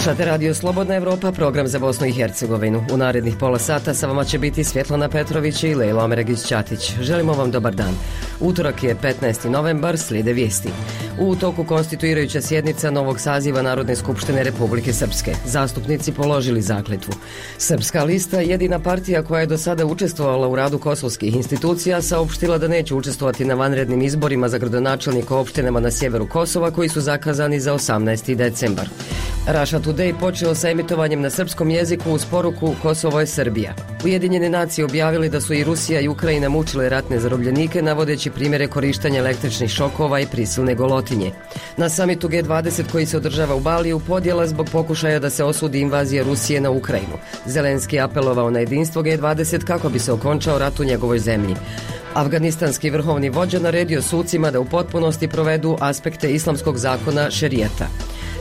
Slušate Radio Slobodna Evropa, program za Bosnu i Hercegovinu. U narednih pola sata sa vama će biti Svjetlana Petrović i Lejla Omeregić-Ćatić. Želimo vam dobar dan. Utorak je 15. novembar, slijede vijesti. U toku konstituirajuća sjednica novog saziva Narodne skupštine Republike Srpske. Zastupnici položili zakletvu. Srpska lista, jedina partija koja je do sada učestvovala u radu kosovskih institucija, saopštila da neće učestvovati na vanrednim izborima za gradonačelnika opštinama na sjeveru Kosova koji su zakazani za 18. decembar. Russia Today počeo sa emitovanjem na srpskom jeziku uz poruku Kosovo je Srbija. Ujedinjene nacije objavili da su i Rusija i Ukrajina mučile ratne zarobljenike navodeći primjere korištenja električnih šokova i prisilne golotinje. Na samitu G20 koji se održava u Baliju podjela zbog pokušaja da se osudi invazija Rusije na Ukrajinu. Zelenski je apelovao na jedinstvo G20 kako bi se okončao rat u njegovoj zemlji. Afganistanski vrhovni vođa naredio sucima da u potpunosti provedu aspekte islamskog zakona šerijata.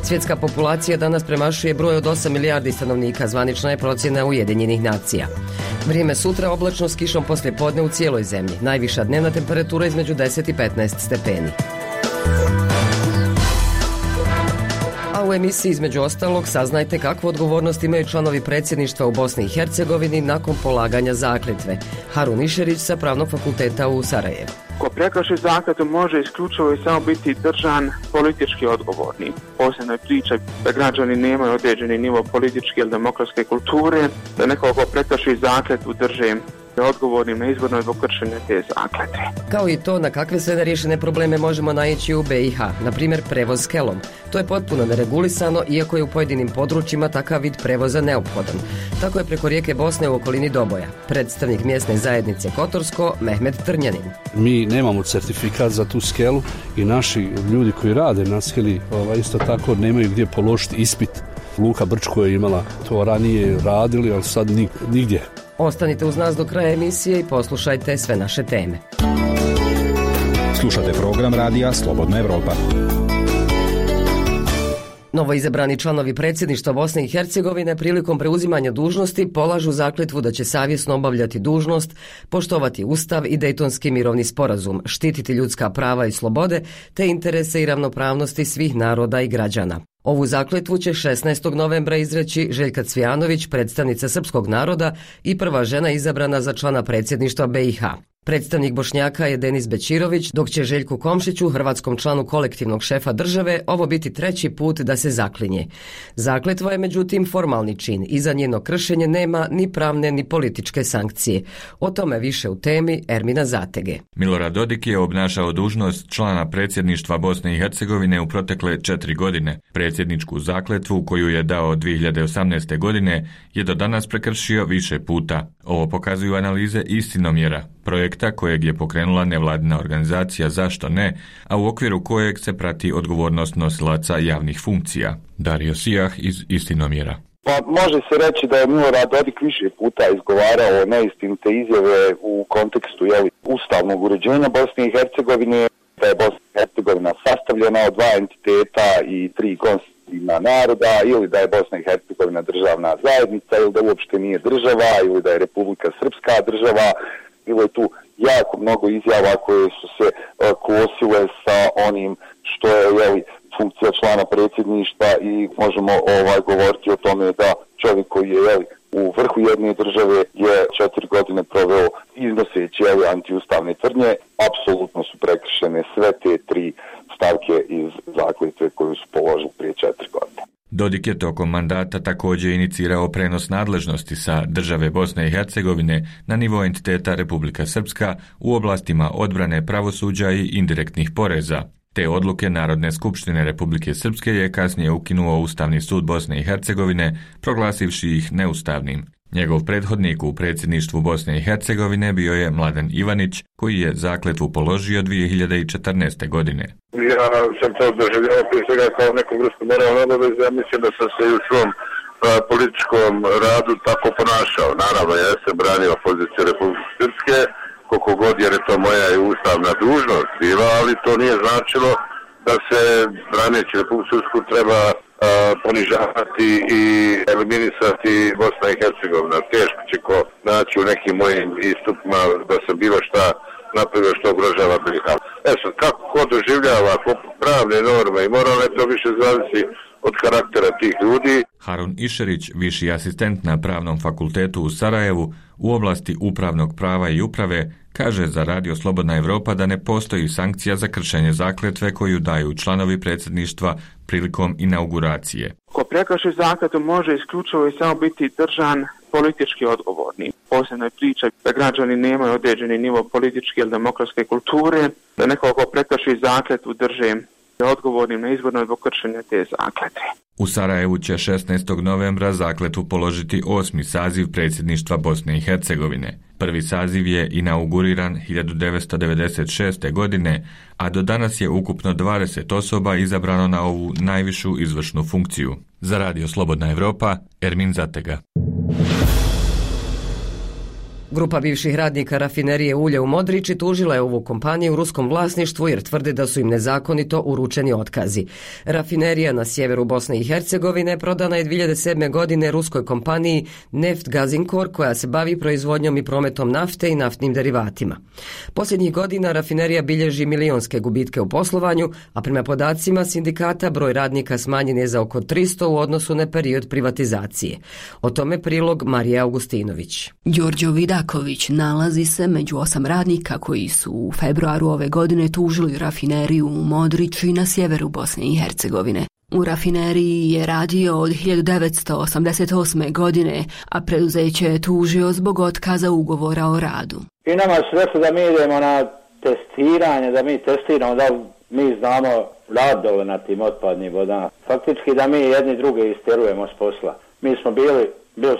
Svjetska populacija danas premašuje broj od 8 milijardi stanovnika, zvanična je procjena Ujedinjenih nacija. Vrijeme sutra oblačno s kišom poslije podne u cijeloj zemlji. Najviša dnevna temperatura između 10 i 15 stepeni. A u emisiji između ostalog saznajte kakvu odgovornost imaju članovi predsjedništva u Bosni i Hercegovini nakon polaganja zakletve. Harun Išerić sa Pravnog fakulteta u Sarajevu. Ko prekrši zakletvu može isključivo i samo biti držan politički odgovorni. Posebno je priča da građani nemaju određeni nivo političke ili demokratske kulture, da neko ko prekrši zakletvu drže odgovornim na izbornoj zbog kršenja te zakletve. Kao i to na kakve sve neriješene probleme možemo naići u BiH, na primjer prevoz s kelom. To je potpuno neregulisano, iako je u pojedinim područjima takav vid prevoza neophodan. Tako je preko rijeke Bosne u okolini Doboja. Predstavnik mjesne zajednice Kotorsko, Mehmet Trnjanin. Mi nemamo certifikat za tu skelu i naši ljudi koji rade na skeli isto tako nemaju gdje položiti ispit. Luka Brčko je imala to ranije radili, ali sad nigdje. Ostanite uz nas do kraja emisije i poslušajte sve naše teme. Slušate program radija Slobodna Evropa. Novoizabrani članovi predsjedništva Bosne i Hercegovine prilikom preuzimanja dužnosti polažu zakletvu da će savjesno obavljati dužnost, poštovati Ustav i Dejtonski mirovni sporazum, štititi ljudska prava i slobode te interese i ravnopravnosti svih naroda i građana. Ovu zakletvu će 16. novembra izreći Željka Cvijanović, predstavnica srpskog naroda i prva žena izabrana za člana predsjedništva BiH. Predstavnik Bošnjaka je Denis Bećirović, dok će Željku Komšiću, hrvatskom članu kolektivnog šefa države, ovo biti treći put da se zaklinje. Zakletva je međutim formalni čin i za njeno kršenje nema ni pravne ni političke sankcije. O tome više u temi Ermina Zatege. Milorad Dodik je obnašao dužnost člana predsjedništva Bosne i Hercegovine u protekle 4 godine. Predsjedničku zakletvu koju je dao 2018. godine je do danas prekršio više puta. Ovo pokazuju analize Istinomjera, projekta kojeg je pokrenula nevladina organizacija Zašto ne, a u okviru kojeg se prati odgovornost nosilaca javnih funkcija. Dario Sijah iz Istinomjera. Pa može se reći da je Milorad Dodik više puta izgovarao neistinite izjave u kontekstu ustavnog uređenja Bosne i Hercegovine, da je Bosna i Hercegovina sastavljena od 2 entiteta i 3 konstitutivna naroda, ili da je Bosna i Hercegovina državna zajednica, ili da uopšte nije država, ili da je Republika Srpska država. Bilo je tu jako mnogo izjava koje su se kosile sa onim što je funkcija člana predsjedništva i možemo govoriti o tome da čovjek koji je u vrhu jedne države je 4 godine proveo iznoseći antiustavne tvrdnje. Apsolutno su prekršene sve te 3 stavke iz zakletve koju su položili prije 4 godine. Dodik je tokom mandata također inicirao prenos nadležnosti sa države Bosne i Hercegovine na nivo entiteta Republika Srpska u oblastima odbrane, pravosuđa i indirektnih poreza. Te odluke Narodne skupštine Republike Srpske je kasnije ukinuo Ustavni sud Bosne i Hercegovine, proglasivši ih neustavnim. Njegov prethodnik u predsjedništvu Bosne i Hercegovine bio je Mladen Ivanić, koji je zakletvu položio 2014. godine. Ja sam to doživljavao prije svega kao neku vrstu moralne obaveze, ja mislim da sam se i u svom političkom radu tako ponašao. Naravno, ja sam branio poziciju Republike Srpske, koliko god jer je to moja i ustavna dužnost bila, ali to nije značilo da se braneći Republiku Srpsku treba ponižavati i eliminisati Bosna i Hercegovina. Teško će ko naći u nekim mojim istupima da sam bilo šta napravio što ugrožava BiH. Sad, kako ko doživljava pravne norme i moralne, to više zavisi od karaktera tih ljudi. Harun Išerić, viši asistent na Pravnom fakultetu u Sarajevu u oblasti upravnog prava i uprave, kaže za Radio Slobodna Evropa da ne postoji sankcija za kršenje zakletve koju daju članovi predsjedništva prilikom inauguracije. Ko prekrši zakletvu može isključivo i samo biti držan politički odgovorni. Posebno je priča da građani nemaju određeni nivo političke ili demokratske kulture, da neko ko prekrši zakletvu drže odgovornim na izborno zbog kršenja te zakletve. U Sarajevu će 16. novembra zakletvu položiti 8. saziv predsjedništva Bosne i Hercegovine. Prvi saziv je inauguriran 1996. godine, a do danas je ukupno 20 osoba izabrano na ovu najvišu izvršnu funkciju. Za Radio Slobodna Evropa, Ermin Zatega. Grupa bivših radnika rafinerije ulja u Modriči tužila je ovu kompaniju u ruskom vlasništvu jer tvrde da su im nezakonito uručeni otkazi. Rafinerija na sjeveru Bosne i Hercegovine prodana je 2007. godine ruskoj kompaniji Neft Gazinkor koja se bavi proizvodnjom i prometom nafte i naftnim derivatima. Posljednjih godina rafinerija bilježi milionske gubitke u poslovanju, a prema podacima sindikata broj radnika smanjen je za oko 300 u odnosu na period privatizacije. O tome prilog Marija Augustinović. Đorđo Vidaković nalazi se među 8 radnika koji su u februaru ove godine tužili rafineriju u Modriči na sjeveru Bosne i Hercegovine. U rafineriji je radio od 1988. godine, a preduzeće je tužio zbog otkaza ugovora o radu. I nama su rekli da mi idemo na testiranje, da mi testiramo, da mi znamo radove na tim otpadnim vodama. Faktički da mi jedni druge isterujemo s posla. Mi smo bili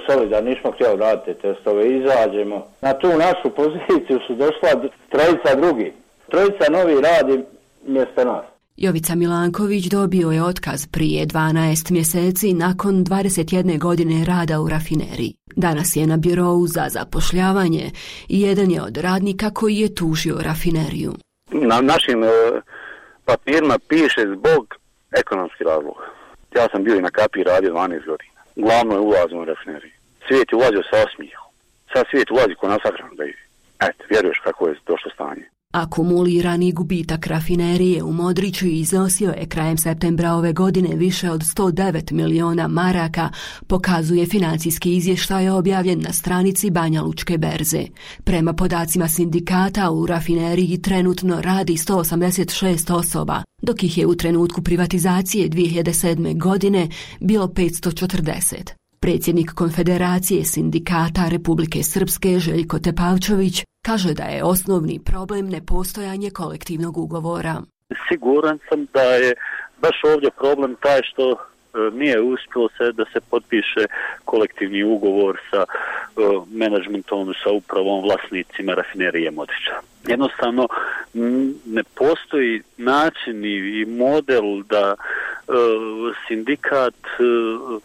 solidarni, nismo htjeli raditi testove, izađemo. Na tu našu poziciju su došla trojica novi radi mjesto nas. Jovica Milanković dobio je otkaz prije 12 mjeseci nakon 21 godine rada u rafineriji. Danas je na birou za zapošljavanje i jedan je od radnika koji je tužio rafineriju. Na našim papirima piše zbog ekonomskih razloga. Ja sam bio i na Kapi radio 12 godina. Glavno je ulazno u rafineriju. Svijet je ulazio sa osmijehom. Sad svijet ulazi ko na sahranu da ide. Eto, vjeruješ kako je došlo stanje. Akumulirani gubitak rafinerije u Modriču iznosio je krajem septembra ove godine više od 109 miliona maraka, pokazuje financijski izvještaj objavljen na stranici Banja Lučke berze. Prema podacima sindikata u rafineriji trenutno radi 186 osoba, dok ih je u trenutku privatizacije 2007. godine bilo 540. Predsjednik Konfederacije sindikata Republike Srpske Željko Tepavčević kaže da je osnovni problem nepostojanje kolektivnog ugovora. Siguran sam da je baš ovdje problem taj što nije uspjelo da se potpiše kolektivni ugovor sa menadžmentom, sa upravom, vlasnicima rafinerije Modriča. Jednostavno ne postoji način i model da sindikat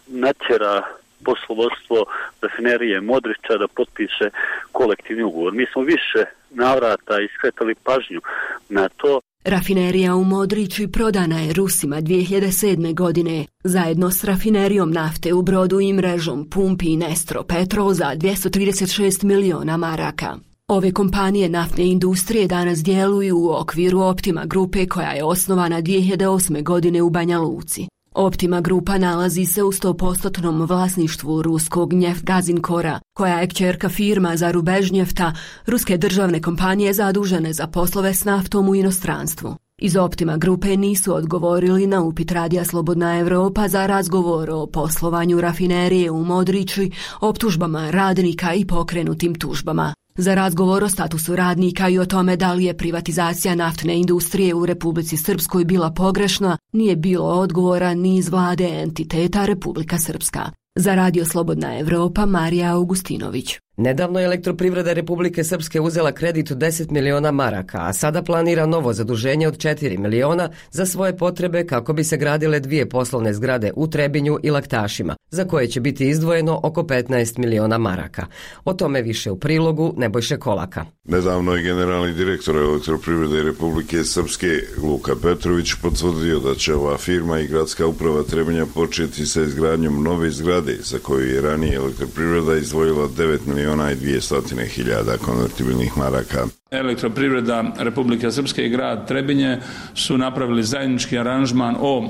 natjera poslovodstvo rafinerije Modriča da potpiše kolektivni ugovor. Mi smo više navrata iskretali pažnju na to. Rafinerija u Modriči prodana je Rusima 2007. godine zajedno s rafinerijom nafte u Brodu i mrežom pumpi Nestro Petrol za 236 miliona maraka. Ove kompanije naftne industrije danas djeluju u okviru Optima grupe koja je osnovana 2008. godine u Banja Luci. Optima grupa nalazi se u 100% vlasništvu ruskog Neft Gazinkora, koja je kćerka firma za Rubežnjefta, ruske državne kompanije zadužene za poslove s naftom u inostranstvu. Iz Optima grupe nisu odgovorili na upit Radija Slobodna Evropa za razgovor o poslovanju rafinerije u Modriči, optužbama radnika i pokrenutim tužbama. Za razgovor o statusu radnika i o tome da li je privatizacija naftne industrije u Republici Srpskoj bila pogrešna, nije bilo odgovora ni iz vlade entiteta Republika Srpska. Za Radio Slobodna Evropa, Marija Augustinović. Nedavno je Elektroprivreda Republike Srpske uzela kredit od 10 miliona maraka, a sada planira novo zaduženje od 4 miliona za svoje potrebe kako bi se gradile 2 poslovne zgrade u Trebinju i Laktašima, za koje će biti izdvojeno oko 15 miliona maraka. O tome više u prilogu Nebojše Kolaka. Nedavno je generalni direktor Elektroprivrede Republike Srpske Luka Petrović potvrdio da će ova firma i gradska uprava Trebinja početi sa izgradnjom nove zgrade za koju je ranije Elektroprivreda izdvojila 9 miliona 1.200.000 konvertibilnih maraka. Elektroprivreda Republike Srpske i grad Trebinje su napravili zajednički aranžman o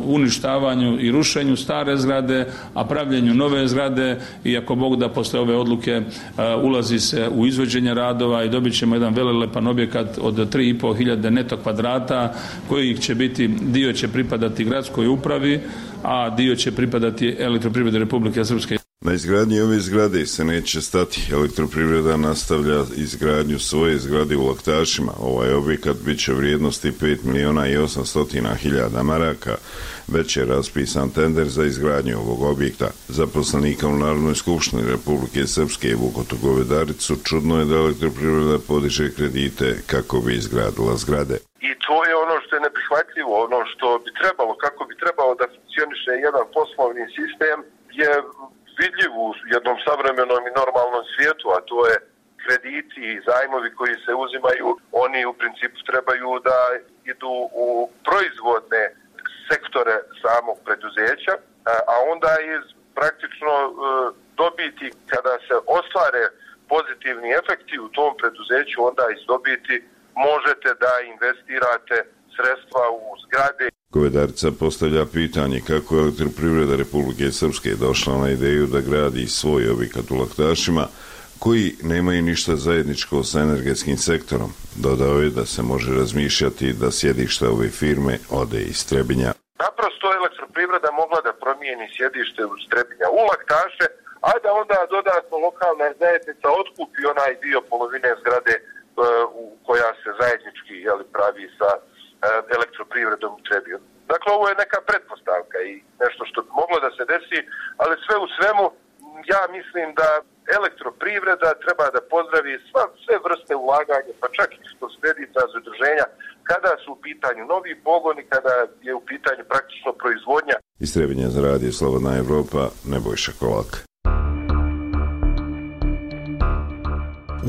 uništavanju i rušenju stare zgrade, a pravljenju nove zgrade, i ako Bog da posle ove odluke ulazi se u izvođenje radova i dobit ćemo jedan velelepan objekat od 3.500 neto kvadrata, koji će biti, dio će pripadati gradskoj upravi, a dio će pripadati Elektroprivredi Republike Srpske. Na izgradnji ove zgrade se neće stati. Elektroprivreda nastavlja izgradnju svoje zgrade u Laktašima. Ovaj objekat bit će vrijednosti 5.800.000 maraka. Već je raspisan tender za izgradnju ovog objekta. Zaposlenika u Narodnoj skupštini Republike Srpske Vukotu Govedaricu čudno je da Elektroprivreda podiže kredite kako bi izgradila zgrade. I to je ono što je neprihvatljivo, ono što bi trebalo, kako bi trebalo da funkcioniše jedan poslovni sistem je vidljiv u jednom savremenom i normalnom svijetu, a to je krediti i zajmovi koji se uzimaju, oni u principu trebaju da idu u proizvodne sektore samog preduzeća, a onda iz praktično dobiti, kada se ostvare pozitivni efekti u tom preduzeću, onda iz dobiti možete da investirate sredstva u zgrade. Govedarica postavlja pitanje kako je Elektroprivreda Republike Srpske došla na ideju da gradi svoj objekat u Laktašima, koji nemaju ništa zajedničko sa energetskim sektorom. Dodao je da se može razmišljati da sjedište ove firme ode iz Trebinja. Naprosto Elektroprivreda mogla da promijeni sjedište u Trebinja u Laktaše, a da onda dodatno lokalna zajednica otkupi onaj dio polovine zgrade koja se zajednički pravi sa Elektroprivredom u Trebinju. Dakle, ovo je neka pretpostavka i nešto što bi moglo da se desi, ali sve u svemu ja mislim da Elektroprivreda treba da pozdravi sve vrste ulaganja, pa čak i što kreditna zaduženja, kada su u pitanju novi pogoni, kada je u pitanju praktično proizvodnja. Iz Trebinja za radio Slobodna Evropa, Nebojša Kolak.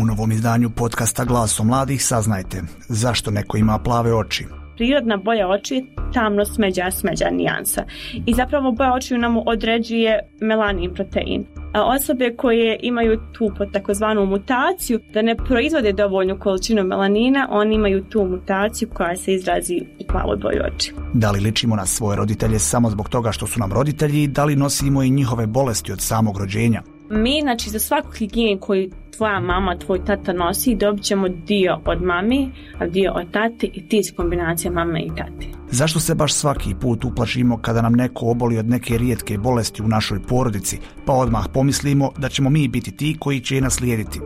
U novom izdanju podcasta Glasom mladih saznajte zašto neko ima plave oči. Prirodna boja oči je tamno smeđa nijansa i zapravo boja očiju nam određuje melanin protein. A osobe koje imaju tu takozvanu mutaciju da ne proizvode dovoljnu količinu melanina, oni imaju tu mutaciju koja se izrazi u plavoj boji oči. Da li ličimo na svoje roditelje samo zbog toga što su nam roditelji i da li nosimo i njihove bolesti od samog rođenja? Mi, za svaku higijenu koju tvoja mama, tvoj tata nosi, dobit ćemo dio od mami, a dio od tate i ti kombinacija mame i tate. Zašto se baš svaki put uplašimo kada nam neko oboli od neke rijetke bolesti u našoj porodici, pa odmah pomislimo da ćemo mi biti ti koji će je naslijediti?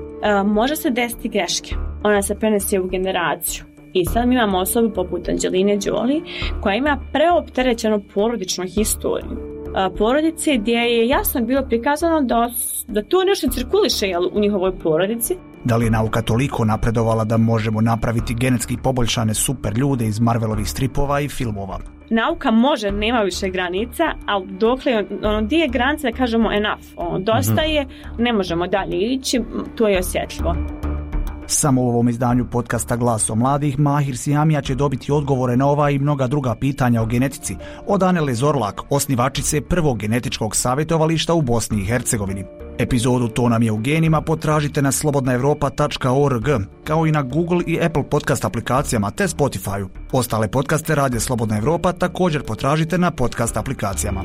Može se desiti greške. Ona se prenese u generaciju. I sad mi imamo osobu poput Anđeline Jolie koja ima preopterećenu porodičnu historiju. Porodice gdje je jasno bilo prikazano da to nešto cirkuliše u njihovoj porodici. Da li je nauka toliko napredovala da možemo napraviti genetski poboljšane super ljude iz Marvelovih stripova i filmova? Nauka može, nema više granica, ali dokle gdje je granica da kažemo enough, dosta je, ne možemo dalje ići, to je osjetljivo. Samo u ovom izdanju podcasta Glasom mladih Mahir Sijamija će dobiti odgovore na ova i mnoga druga pitanja o genetici od Anele Zorlak, osnivačice prvog genetičkog savjetovališta u Bosni i Hercegovini. Epizodu To nam je u genima potražite na slobodnaevropa.org, kao i na Google i Apple podcast aplikacijama te Spotify-u. Ostale podcaste Radio Slobodna Evropa također potražite na podcast aplikacijama.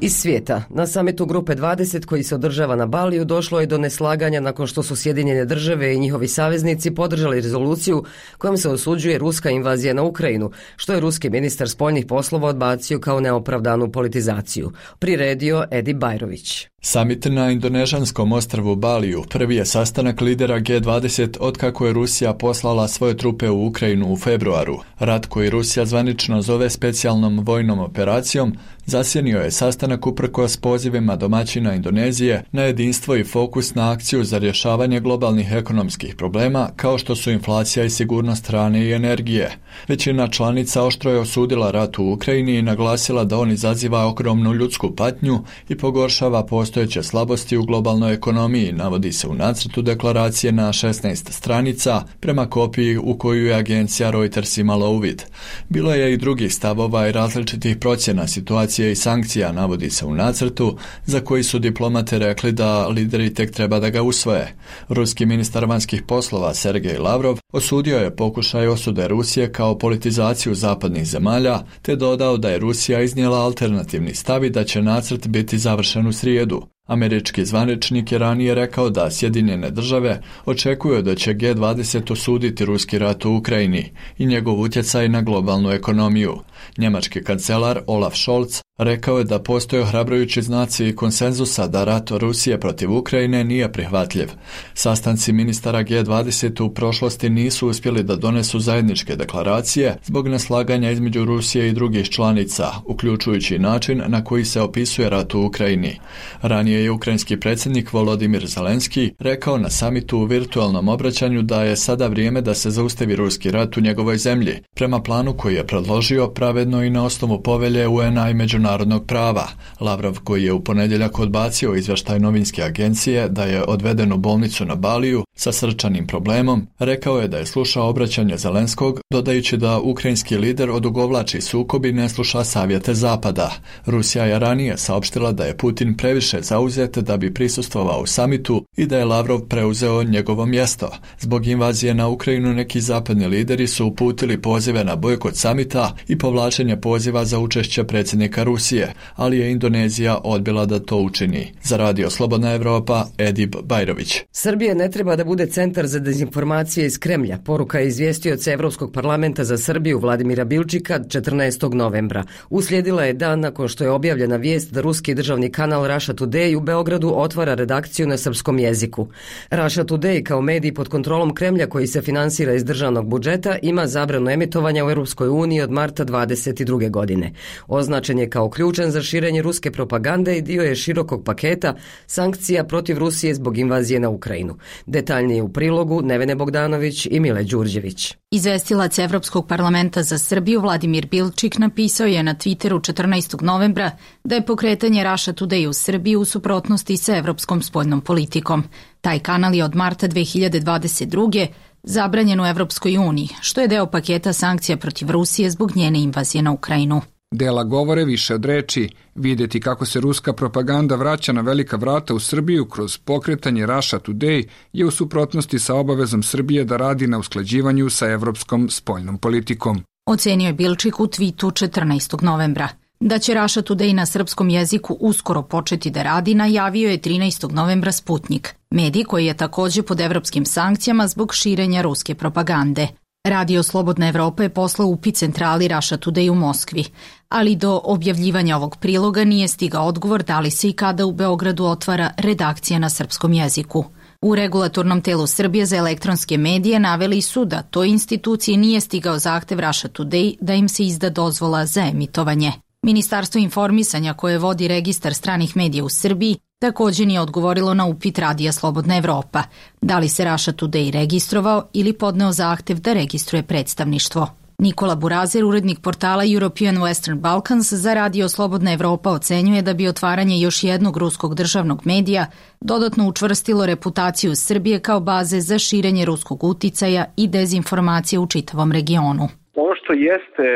Iz svijeta. Na samitu Grupe 20 koji se održava na Baliju došlo je do neslaganja nakon što su Sjedinjene države i njihovi saveznici podržali rezoluciju kojom se osuđuje ruska invazija na Ukrajinu, što je ruski ministar spoljnih poslova odbacio kao neopravdanu politizaciju. Priredio Edi Bajrović. Samit na indonežanskom ostrvu Baliju prvi je sastanak lidera G20 otkako je Rusija poslala svoje trupe u Ukrajinu u februaru. Rat koji Rusija zvanično zove specijalnom vojnom operacijom zasjenio je sastanak uprkos pozivima domaćina Indonezije na jedinstvo i fokus na akciju za rješavanje globalnih ekonomskih problema kao što su inflacija i sigurnost hrane i energije. Većina članica oštro je osudila rat u Ukrajini i naglasila da on izaziva ogromnu ljudsku patnju i pogoršava postojeće slabosti u globalnoj ekonomiji, navodi se u nacrtu deklaracije na 16 stranica prema kopiji u koju je agencija Reuters imala uvid. Bilo je i drugih stavova i različitih procjena situacije Rusije i sankcija, navodi se u nacrtu, za koji su diplomate rekli da lideri tek treba da ga usvoje. Ruski ministar vanjskih poslova Sergej Lavrov osudio je pokušaj osude Rusije kao politizaciju zapadnih zemalja, te dodao da je Rusija iznijela alternativni stav i da će nacrt biti završen u srijedu. Američki zvaničnik je ranije rekao da Sjedinjene države očekuju da će G20 osuditi ruski rat u Ukrajini i njegov utjecaj na globalnu ekonomiju. Njemački kancelar Olaf Scholz rekao je da postoje ohrabrujući znaci konsenzusa da rat Rusije protiv Ukrajine nije prihvatljiv. Sastanci ministara G20 u prošlosti nisu uspjeli da donesu zajedničke deklaracije zbog neslaganja između Rusije i drugih članica, uključujući način na koji se opisuje rat u Ukrajini. Ranije je ukrajinski predsjednik Volodimir Zelenski rekao na samitu u virtualnom obraćanju da je sada vrijeme da se zaustavi ruski rat u njegovoj zemlji, prema planu koji je predložio pravedno i na osnovu povelje UN-a i međunarodnog prava. Lavrov, koji je u ponedjeljak odbacio izvještaj novinske agencije da je odveden u bolnicu na Baliju sa srčanim problemom, rekao je da je slušao obraćanje Zelenskog, dodajući da ukrajinski lider odugovlači sukob i ne sluša savjete Zapada. Rusija je ranije saopštila da je Putin previše zauzet da bi prisustvovao u samitu i da je Lavrov preuzeo njegovo mjesto. Zbog invazije na Ukrajinu neki zapadni lideri su uputili pozive na bojkot samita i povlačenje poziva za učešće predsjednika Rusije, ali je Indonezija odbila da to učini. Za Radio Slobodna Evropa, Edip Bajrović. Srbija ne treba da bude centar za dezinformacije iz Kremlja. Poruka je izvjestioca Evropskog parlamenta za Srbiju Vladimira Bilčika 14. novembra. Uslijedila je dan nakon što je objavljena vijest da ruski državni kanal Russia Today u Beogradu otvara redakciju na srpskom jeziku. Russia Today kao medij pod kontrolom Kremlja koji se finansira iz državnog budžeta ima zabranu emitovanja u Europskoj uniji od marta 22. godine. Označen je kao ključan za širenje ruske propagande i dio je širokog paketa sankcija protiv Rusije zbog invazije na Ukrajinu. Detaljnije u prilogu Nevene Bogdanović i Mile Đurđević. Izvestilac Evropskog parlamenta za Srbiju Vladimir Bilčik napisao je na Twitteru 14. novembra da je pokretanje Russia Today u Srbiji u suprotnosti sa evropskom spoljnom politikom. Taj kanal je od marta 2022. zabranjen u Evropskoj uniji, što je deo paketa sankcija protiv Rusije zbog njene invazije na Ukrajinu. Dela govore više od reči. Vidjeti kako se ruska propaganda vraća na velika vrata u Srbiju kroz pokretanje Russia Today je u suprotnosti sa obavezom Srbije da radi na usklađivanju sa evropskom spoljnom politikom. Ocenio je Bilčik u twitu 14. novembra. Da će Russia Today na srpskom jeziku uskoro početi da radi, najavio je 13. novembra Sputnik, medij koji je također pod evropskim sankcijama zbog širenja ruske propagande. Radio Slobodna Evropa je poslao upit centrali Russia Today u Moskvi, ali do objavljivanja ovog priloga nije stigao odgovor da li se i kada u Beogradu otvara redakcija na srpskom jeziku. U regulatornom telu Srbije za elektronske medije naveli su da toj instituciji nije stigao zahtev Russia Today da im se izda dozvola za emitovanje. Ministarstvo informisanja koje vodi registar stranih medija u Srbiji također nije odgovorilo na upit Radija Slobodna Evropa, da li se Russia Today registrovao ili podneo zahtev da registruje predstavništvo. Nikola Burazer, urednik portala European Western Balkans za Radio Slobodna Evropa, ocenjuje da bi otvaranje još jednog ruskog državnog medija dodatno učvrstilo reputaciju Srbije kao baze za širenje ruskog uticaja i dezinformacije u čitavom regionu. Ono što jeste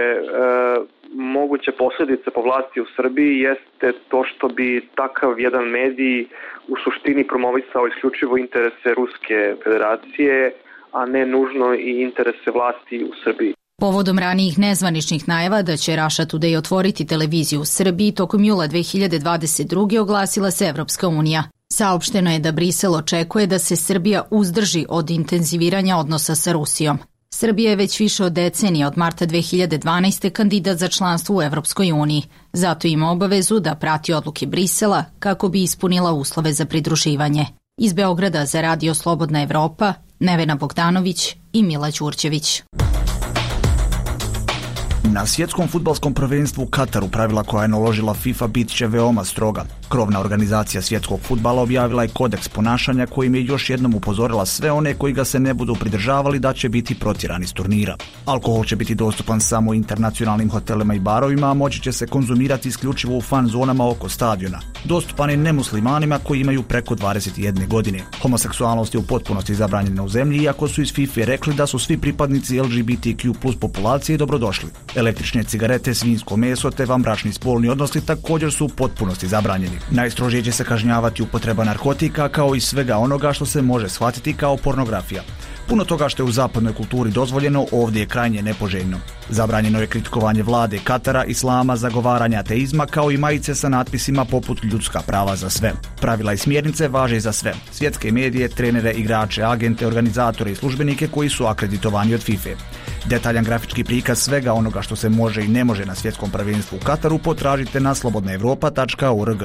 moguće posljedice po vlasti u Srbiji jeste to što bi takav jedan medij u suštini promovisao isključivo interese Ruske federacije, a ne nužno i interese vlasti u Srbiji. Povodom ranijih nezvaničnih najava da će Russia Today otvoriti televiziju u Srbiji, tokom jula 2022. oglasila se Evropska unija. Saopšteno je da Brisel očekuje da se Srbija uzdrži od intenziviranja odnosa sa Rusijom. Srbija je već više od decenije, od marta 2012. kandidat za članstvo u Evropskoj uniji. Zato ima obavezu da prati odluke Brisela kako bi ispunila uslove za pridruživanje. Iz Beograda za Radio Slobodna Evropa, Nevena Bogdanović i Mila Đurđević. Na svjetskom fudbalskom prvenstvu u Kataru pravila koja je naložila FIFA bit će veoma stroga. Krovna organizacija svjetskog fudbala objavila je kodeks ponašanja kojim je još jednom upozorila sve one koji ga se ne budu pridržavali da će biti protjerani s turnira. Alkohol će biti dostupan samo u internacionalnim hotelima i barovima, a moći će se konzumirati isključivo u fan zonama oko stadiona. Dostupan je nemuslimanima koji imaju preko 21 godine. Homoseksualnost je u potpunosti zabranjena u zemlji, iako su iz FIFA rekli da su svi pripadnici LGBTQ+ populacije dobrodošli. Električne cigarete, svinjsko meso te vanbračni spolni odnosi također su u potpunosti zabranjeni. Najstrožije će se kažnjavati upotreba narkotika kao i svega onoga što se može shvatiti kao pornografija. Puno toga što je u zapadnoj kulturi dozvoljeno ovdje je krajnje nepoželjno. Zabranjeno je kritikovanje vlade Katara, islama, zagovaranja ateizma kao i majice sa natpisima poput ljudska prava za sve. Pravila i smjernice važe za sve. Svjetske medije, trenere, igrače, agente, organizatore i službenike koji su akreditovani od FIFA. Detaljan grafički prikaz svega onoga što se može i ne može na svjetskom prvenstvu u Kataru potražite na slobodnaevropa.org.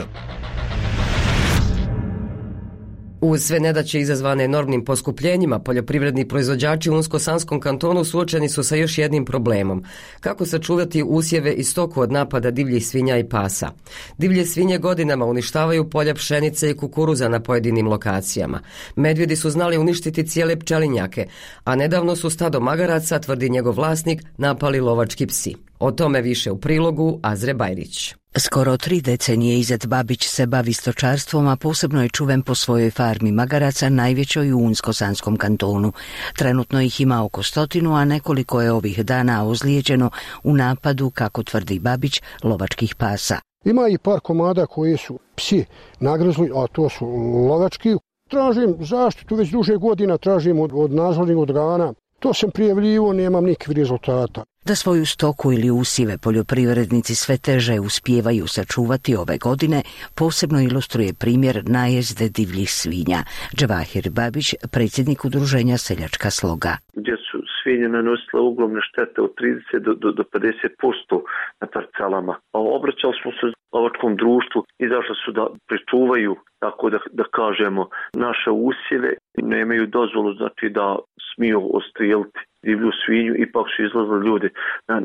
Uz sve nedaće izazvane enormnim poskupljenjima, poljoprivredni proizvođači u Unsko-Sanskom kantonu suočeni su sa još jednim problemom. Kako sačuvati usjeve i stoku od napada divljih svinja i pasa? Divlje svinje godinama uništavaju polja pšenice i kukuruza na pojedinim lokacijama. Medvjedi su znali uništiti cijele pčelinjake, a nedavno su stado magaraca, tvrdi njegov vlasnik, napali lovački psi. O tome više u prilogu Azre Bajrić. Skoro 3 decenije Izet Babić se bavi stočarstvom, a posebno je čuven po svojoj farmi magaraca, najvećoj u Unsko-Sanskom kantonu. Trenutno ih ima oko 100, a nekoliko je ovih dana ozlijeđeno u napadu, kako tvrdi Babić, lovačkih pasa. Ima i par komada koji su psi nagrizli, a to su lovački. Tražim zaštitu, već duže godina tražim od nadzornih organa. To sam prijavljivo, nemam nikakvih rezultata. Da svoju stoku ili usjeve poljoprivrednici sve teže uspijevaju sačuvati ove godine, posebno ilustruje primjer najezde divljih svinja. Džavahir Babić, predsjednik udruženja Seljačka sloga. Gdje su svinje nanosile ogromne štete od 30 do 50% na parcelama. Obraćali smo se lovačkom društvu i zašli su da pričuvaju, tako da kažemo, naše usjeve. Nemaju dozvolu, znači da smiju ostrijeliti divlju svinju, ipak su izlazili ljudi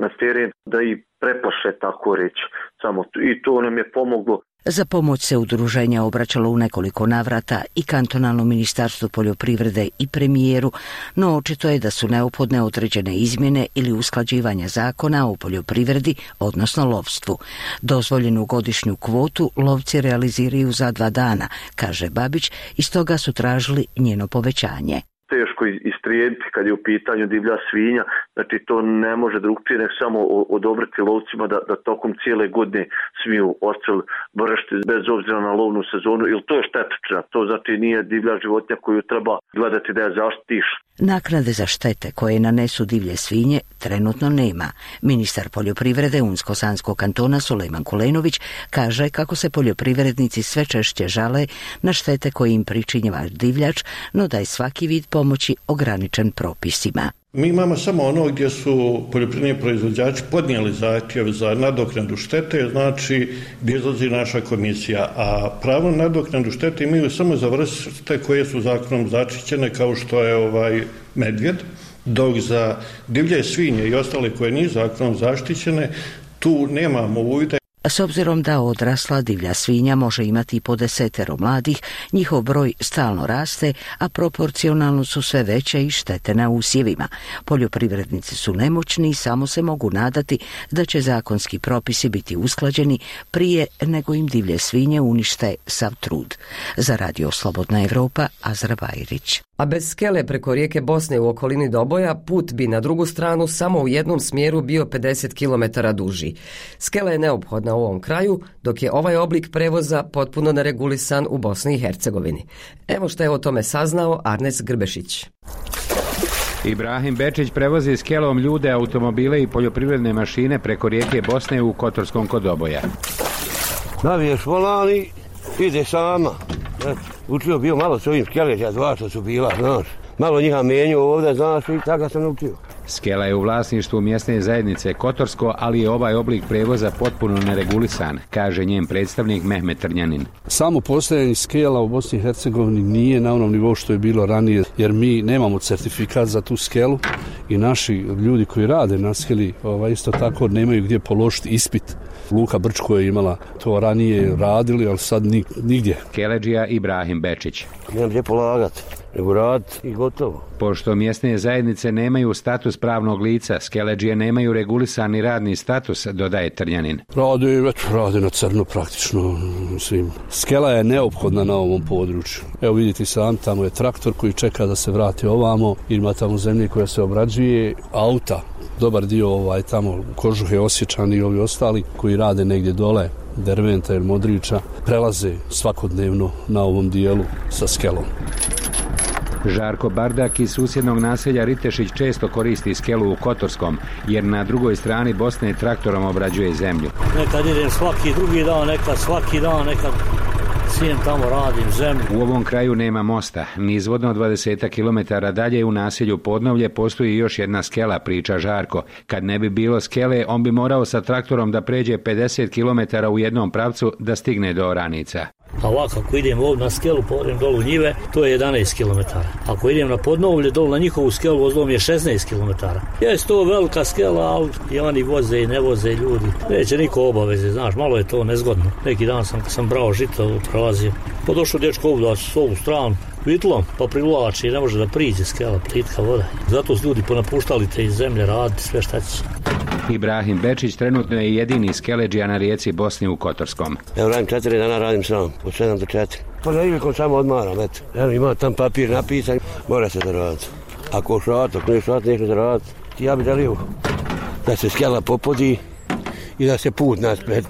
na teren da ih preplaše, tako reći. Samo i to nam je pomoglo. Za pomoć se udruženja obraćalo u nekoliko navrata i kantonalnom ministarstvu poljoprivrede i premijeru, no očito je da su neophodne određene izmjene ili usklađivanja zakona o poljoprivredi, odnosno lovstvu. Dozvoljenu godišnju kvotu lovci realiziraju za 2 dana, kaže Babić, i stoga su tražili njeno povećanje. Teško istrijediti kad je u pitanju divlja svinja, znači to ne može drugčije nego samo odobriti lovcima da tokom cijele godine smiju odstrel vršiti bez obzira na lovnu sezonu, ili to je štetočina, to znači nije divlja životinja koju treba gledati da je zaštitiš. Naknade za štete koje nanesu divlje svinje trenutno nema. Ministar poljoprivrede Unsko-Sanskog kantona Sulejman Kulenović kaže kako se poljoprivrednici sve češće žale na štete koje im pričinjava divljač, no da je svaki vid pomoći ograničen propisima. Mi imamo samo ono gdje su poljoprivredni proizvođači podnijeli zahtjev za nadoknadu štete, znači gdje izlazi naša komisija, a pravo na nadoknadu štete imaju samo za vrste koje su zakonom zaštićene, kao što je medvjed, dok za divlje svinje i ostale koje nisu zakonom zaštićene, tu nemamo uvida. S obzirom da odrasla divlja svinja može imati i po 10 mladih, njihov broj stalno raste, a proporcionalno su sve veće i štete na usjevima. Poljoprivrednici su nemoćni i samo se mogu nadati da će zakonski propisi biti usklađeni prije nego im divlje svinje unište sav trud. Za Radio Slobodna Evropa, Azra Bajrić. A bez skele preko rijeke Bosne u okolini Doboja, put bi na drugu stranu samo u jednom smjeru bio 50 km duži. Skela je neophodna u ovom kraju, dok je ovaj oblik prevoza potpuno neregulisan u Bosni i Hercegovini. Evo što je o tome saznao Arnes Grbešić. Ibrahim Bečić prevozi skelom ljude, automobile i poljoprivredne mašine preko rijeke Bosne u Kotorskom kod Doboja. Naviješ volani, ide sama. Učio bio malo s ovim skeleđa, 2 što su bila, znaš. Malo njiha menju ovdje, znaš, i tako sam naučio. Skela je u vlasništvu mjesne zajednice Kotorsko, ali je ovaj oblik prevoza potpuno neregulisan, kaže njen predstavnik Mehmet Trnjanin. Samo postojanje skela u Bosni i Hercegovini nije na onom nivou što je bilo ranije, jer mi nemamo certifikat za tu skelu i naši ljudi koji rade na skeli isto tako nemaju gdje položiti ispit. Luka Brčko je imala to ranije radili, ali sad nigdje. Skeleđija Ibrahim Bečić. Nemam gdje polagati, nego raditi i gotovo. Pošto mjesne zajednice nemaju status pravnog lica, skeleđije nemaju regulisani radni status, dodaje Trnjanin. Rade na crno praktično svim. Skela je neophodna na ovom području. Evo vidite sam, tamo je traktor koji čeka da se vrati ovamo, ima tamo zemlje koja se obrađuje, auta dobar dio tamo Kožuhe, Osječani i ovi ostali koji rade negdje dole, Derventa ili Modrića, prelaze svakodnevno na ovom dijelu sa skelom. Žarko Bardak iz susjednog naselja Ritešić često koristi skelu u Kotorskom, jer na drugoj strani Bosne traktorom obrađuje zemlju. Nekad idem svaki drugi dan, nekad svaki dan, nekad sijem tamo, radim zemlju. U ovom kraju nema mosta. Nizvodno 20 km dalje u naselju Podnovlje postoji još jedna skela, priča Žarko. Kad ne bi bilo skele, on bi morao sa traktorom da pređe 50 km u jednom pravcu da stigne do oranica. A ovako, ako idem ovdje na skelu, povrem dolu u njive, to je 11 km. Ako idem na Podnovlje, dolu na njihovu skelu, vozdom je 16 km. Jeste to velika skela, ali i oni voze i ne voze ljudi. Neće niko obaveze, znaš, malo je to nezgodno. Neki dan sam brao žito, prolazio. Pa došao dječko ovdje s ovu stranu, vitlom, pa privlači i ne može da priđe skela, plitka voda. Zato su ljudi ponapuštali te iz zemlje raditi sve šta će. Ibrahim Bečić trenutno je jedini skeleđija na rijeci Bosni u Kotorskom. Evo radim 4 dana, radim sam, od 7 do 4. Pa na ilikom samo odmaram, eto. Evo ima tam papir napisan, mora se da raditi. Ako šat, ako ne šat, nešto da raditi. Ja bi dalio da se skela popodi i da se put naspred.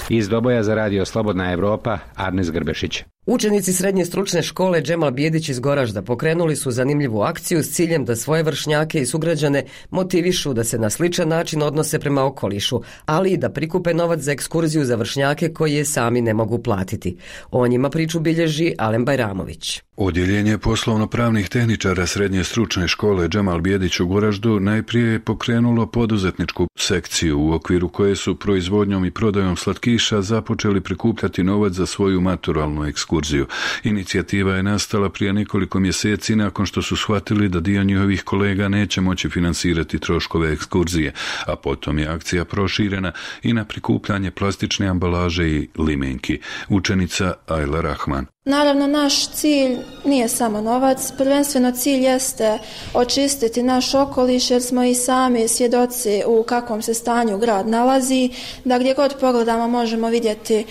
Iz Doboja za radio Slobodna Evropa, Arnes Grbešić. Učenici srednje stručne škole Džemal Bijedić iz Goražda pokrenuli su zanimljivu akciju s ciljem da svoje vršnjake i sugrađane motivišu da se na sličan način odnose prema okolišu, ali i da prikupe novac za ekskurziju za vršnjake koji je sami ne mogu platiti. O njima priču bilježi Alen Bajramović. Odjeljenje poslovno-pravnih tehničara srednje stručne škole Džemal Bijedić u Goraždu najprije je pokrenulo poduzetničku sekciju u okviru koje su proizvodnjom i prodajom slatkiša započeli prikupljati novac za svoju maturalnu ekskurziju. Inicijativa je nastala prije nekoliko mjeseci nakon što su shvatili da dio njihovih kolega neće moći finansirati troškove ekskurzije, a potom je akcija proširena i na prikupljanje plastične ambalaže i limenki. Učenica Ajla Rahman. Naravno, naš cilj nije samo novac, prvenstveno cilj jeste očistiti naš okoliš jer smo i sami svjedoci u kakvom se stanju grad nalazi, da gdje god pogledamo možemo vidjeti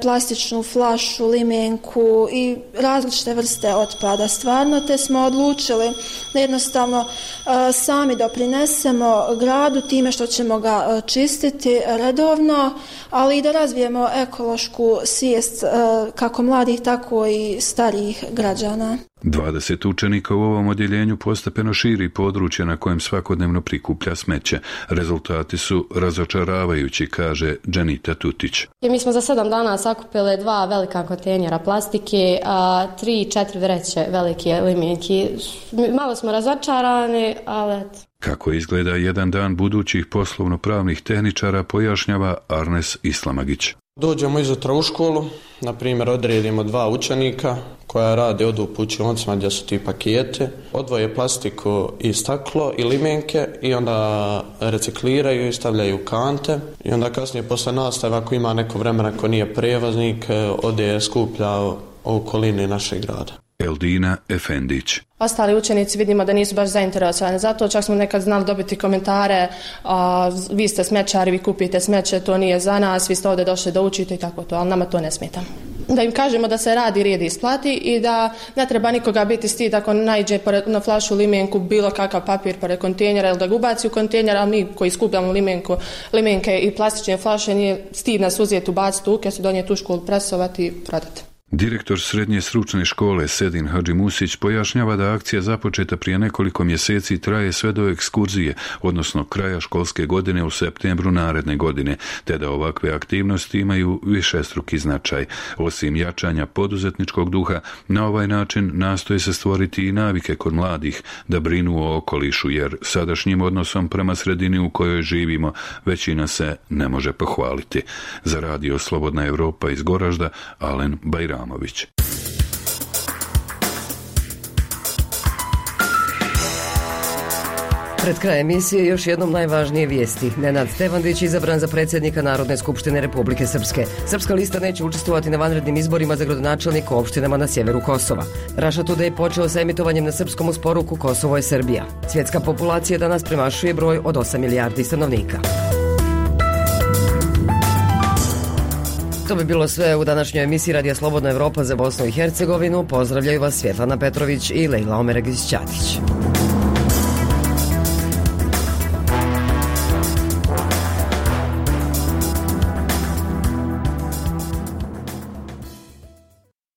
plastičnu flašu, limenku i različite vrste otpada stvarno, te smo odlučili da jednostavno sami doprinesemo gradu time što ćemo ga čistiti redovno, ali i da razvijemo ekološku svijest kako mladih, tako i starijih građana. 20 učenika u ovom odjeljenju postepeno širi područje na kojem svakodnevno prikuplja smeće. Rezultati su razočaravajući, kaže Dženita Tutić. Mi smo za 7 dana sakupili 2 velika kontejnera plastike, 3-4 vreće velike limenki. Malo smo razočarani, ali eto. Kako izgleda jedan dan budućih poslovno-pravnih tehničara, pojašnjava Arnes Islamagić. Dođemo izutra u školu, na primjer odredimo 2 učenika koja rade, odu u učionicama gdje su ti pakete, odvoje plastiku i staklo i limenke i onda recikliraju i stavljaju kante i onda kasnije posle nastave ako ima neko vremena ko nije prevoznik ode skuplja u okolini našeg grada. Eldina Efendić. Ostali učenici vidimo da nisu baš zainteresovani za to, čak smo nekad znali dobiti komentare, vi ste smećari, vi kupite smeće, to nije za nas, vi ste ovdje došli da učite i tako to, ali nama to ne smeta. Da im kažemo da se radi, rijedi, isplati i da ne treba nikoga biti stid ako naiđe na flašu, limenku, bilo kakav papir pored kontejnera ili da ga ubaci u kontejner, a mi koji skupljamo limenke i plastične flaše nije stid nas uzeti, ubaciti u kesu, donijeti u školu, presovati i prodati. Direktor srednje stručne škole Sedin Hadži Musić pojašnjava da akcija započeta prije nekoliko mjeseci traje sve do ekskurzije, odnosno kraja školske godine u septembru naredne godine, te da ovakve aktivnosti imaju višestruki značaj. Osim jačanja poduzetničkog duha, na ovaj način nastoje se stvoriti i navike kod mladih da brinu o okolišu, jer sadašnjim odnosom prema sredini u kojoj živimo većina se ne može pohvaliti. Za radio Slobodna Evropa iz Goražda, Alen Bajramović. Pred kraj emisije još jednom najvažnije vijesti. Nenad Stevandić izabran za predsjednika Narodne skupštine Republike Srpske. Srpska lista neće učestvovati na vanrednim izborima za gradonačelnika u opštinama na sjeveru Kosova. Russia Today počeo sa emitovanjem na srpskom uz poruku Kosovo je Srbija. Svjetska populacija danas premašuje broj od 8 milijardi stanovnika. To bi bilo sve u današnjoj emisiji Radija Slobodna Evropa za Bosnu i Hercegovinu. Pozdravljaju vas Svjetlana Petrović i Lejla Omeregić-Ćatić.